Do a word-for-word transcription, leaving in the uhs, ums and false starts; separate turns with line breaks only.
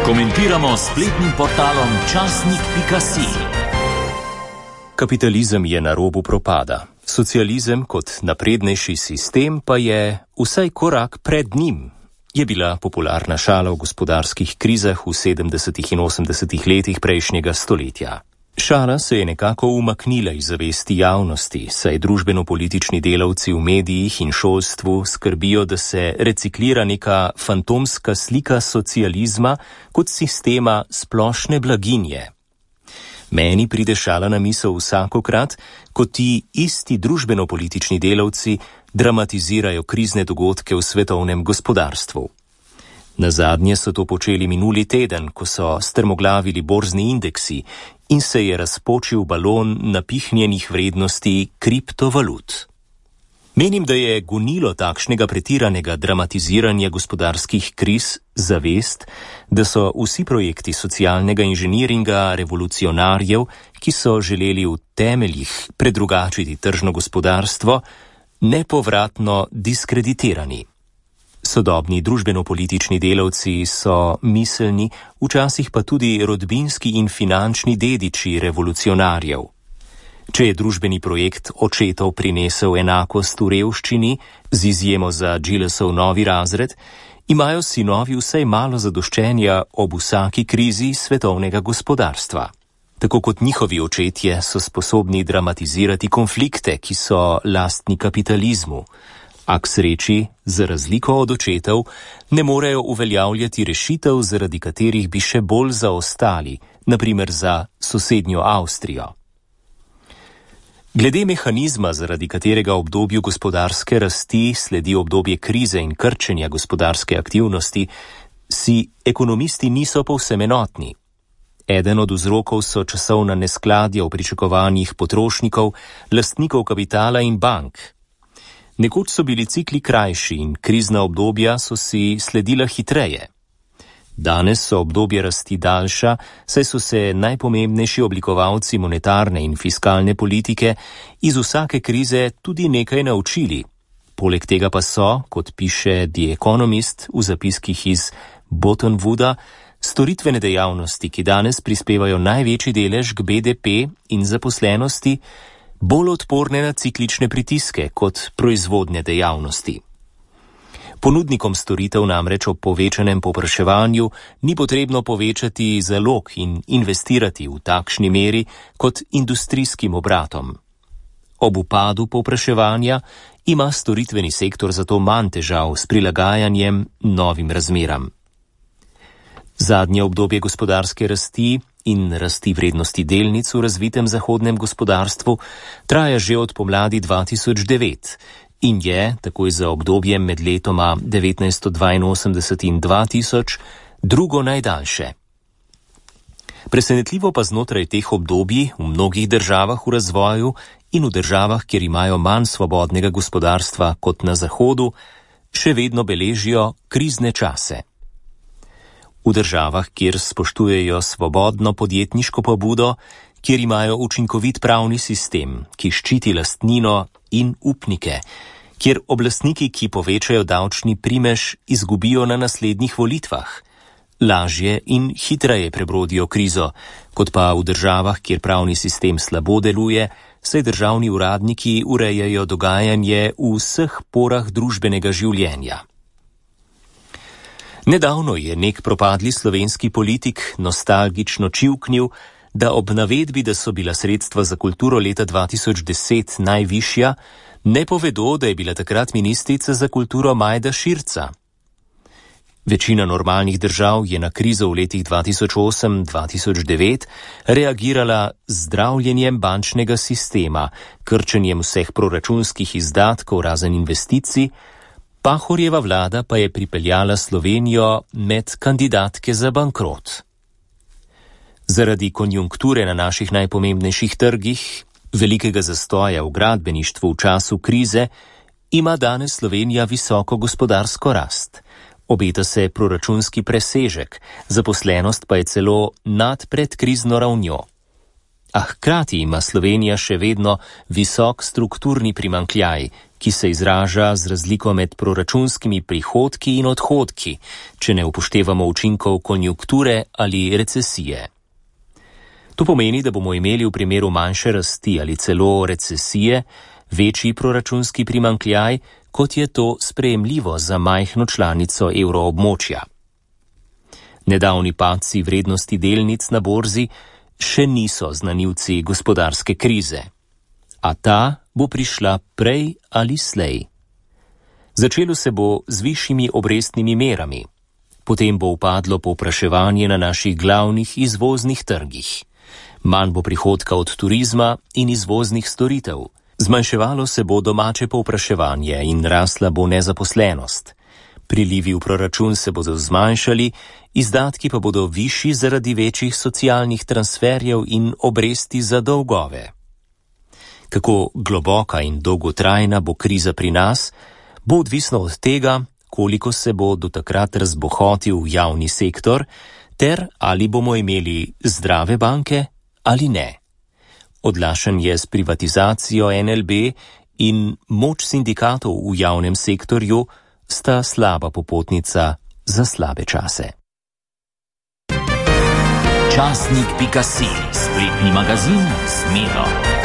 Komentiramo s spletnim portalom časnik pika si.
Kapitalizem je na robu propada. Socializem kot naprednejši sistem pa je vsaj korak pred njim. Je bila popularna šala v gospodarskih krizah v sedemdesetih in osemdesetih letih prejšnjega stoletja. Šala se je nekako umaknila iz zavesti javnosti, saj družbeno-politični delavci v medijih in šolstvu skrbijo, da se reciklira neka fantomska slika socializma kot sistema splošne blaginje. Meni pride šala na misel vsakokrat, ko ti isti družbeno-politični delavci dramatizirajo krizne dogodke v svetovnem gospodarstvu. Nazadnje so to počeli minuli teden, ko so strmoglavili borzni indeksi in se je razpočil balon napihnjenih vrednosti kriptovalut. Menim, da je gonilo takšnega pretiranega dramatiziranja gospodarskih kriz zavest, da so vsi projekti socialnega inženiringa revolucionarjev, ki so želeli v temeljih predrugačiti tržno gospodarstvo, nepovratno diskreditirani. Sodobni družbeno-politični delavci so miselni, včasih pa tudi rodbinski in finančni dediči revolucionarjev. Če je družbeni projekt očetov prinesel enakost v revščini, z izjemo za Gillesov novi razred, imajo sinovi vsaj malo zadoščenja ob vsaki krizi svetovnega gospodarstva. Tako kot njihovi očetje so sposobni dramatizirati konflikte, ki so lastni kapitalizmu, a k sreči, za razliko od očetov, ne morejo uveljavljati rešitev, zaradi katerih bi še bolj zaostali, na primer za sosednjo Avstrijo. Glede mehanizma, zaradi katerega obdobju gospodarske rasti sledi obdobje krize in krčenja gospodarske aktivnosti, si ekonomisti niso povsem enotni. Eden od vzrokov so časovna neskladja v pričakovanjih potrošnikov, lastnikov kapitala in bank. Nekoč so bili cikli krajši in krizna obdobja so si sledila hitreje. Danes so obdobje rasti daljša, saj so se najpomembnejši oblikovalci monetarne in fiskalne politike iz vsake krize tudi nekaj naučili. Poleg tega pa so, kot piše The Economist v zapiskih iz Bottonwooda, storitvene dejavnosti, ki danes prispevajo največji delež k B D P in zaposlenosti, bolj odporne na ciklične pritiske kot proizvodne dejavnosti. Ponudnikom storitev namreč ob povečanem povpraševanju ni potrebno povečati zalog in investirati v takšni meri kot industrijskim obratom. Ob upadu povpraševanja ima storitveni sektor zato manj težav s prilagajanjem novim razmeram. Zadnje obdobje gospodarske rasti in rasti vrednosti delnic v razvitem zahodnem gospodarstvu traja že od pomladi dva tisoč devet in je, takoj za obdobje med letoma devetnajststo dvainosemdeset in dva tisoč, drugo najdaljše. Presenetljivo pa znotraj teh obdobij v mnogih državah v razvoju in v državah, kjer imajo manj svobodnega gospodarstva kot na Zahodu, še vedno beležijo krizne čase. V državah, kjer spoštujejo svobodno podjetniško pobudo, kjer imajo učinkovit pravni sistem, ki ščiti lastnino in upnike, kjer oblastniki, ki povečajo davčni primež, izgubijo na naslednjih volitvah, lažje in hitreje prebrodijo krizo, kot pa v državah, kjer pravni sistem slabo deluje, saj državni uradniki urejajo dogajanje v vseh porah družbenega življenja. Nedavno je nek propadli slovenski politik nostalgično čivknil, da ob navedbi, da so bila sredstva za kulturo leta dva tisoč deset najvišja, ne povedo, da je bila takrat ministrica za kulturo Majda Širca. Večina normalnih držav je na krizo v letih dva tisoč osem do dva tisoč devet reagirala z zdravljenjem bančnega sistema, krčenjem vseh proračunskih izdatkov razen investicij. Pahorjeva vlada pa je pripeljala Slovenijo med kandidatke za bankrot. Zaradi konjunkture na naših najpomembnejših trgih, velikega zastoja v gradbeništvu v času krize, ima danes Slovenija visoko gospodarsko rast. Obeta se proračunski presežek, zaposlenost pa je celo nad predkrizno ravnjo. A hkrati ima Slovenija še vedno visok strukturni primanjkljaj, ki se izraža z razliko med proračunskimi prihodki in odhodki, če ne upoštevamo učinkov konjunkture ali recesije. To pomeni, da bomo imeli v primeru manjše rasti ali celo recesije večji proračunski primanjkljaj, kot je to sprejemljivo za majhno članico evroobmočja. Nedavni padci vrednosti delnic na borzi še niso znanilci gospodarske krize, a ta bo prišla prej ali slej. Začelo se bo z višjimi obrestnimi merami, potem bo upadlo povpraševanje na naših glavnih izvoznih trgih. Manj bo prihodka od turizma in izvoznih storitev. Zmanjševalo se bo domače povpraševanje in rasla bo nezaposlenost. Prilivi v proračun se bodo zmanjšali, izdatki pa bodo višji zaradi večjih socialnih transferjev in obresti za dolgove. Kako globoka in dolgotrajna bo kriza pri nas, bo odvisno od tega, koliko se bo do takrat razbohotil javni sektor, ter ali bomo imeli zdrave banke ali ne. Odlašen je s privatizacijo N L B in moč sindikatov v javnem sektorju sta slaba popotnica za slabe čase.
Časnik pika si, spletni magazin Zmedo.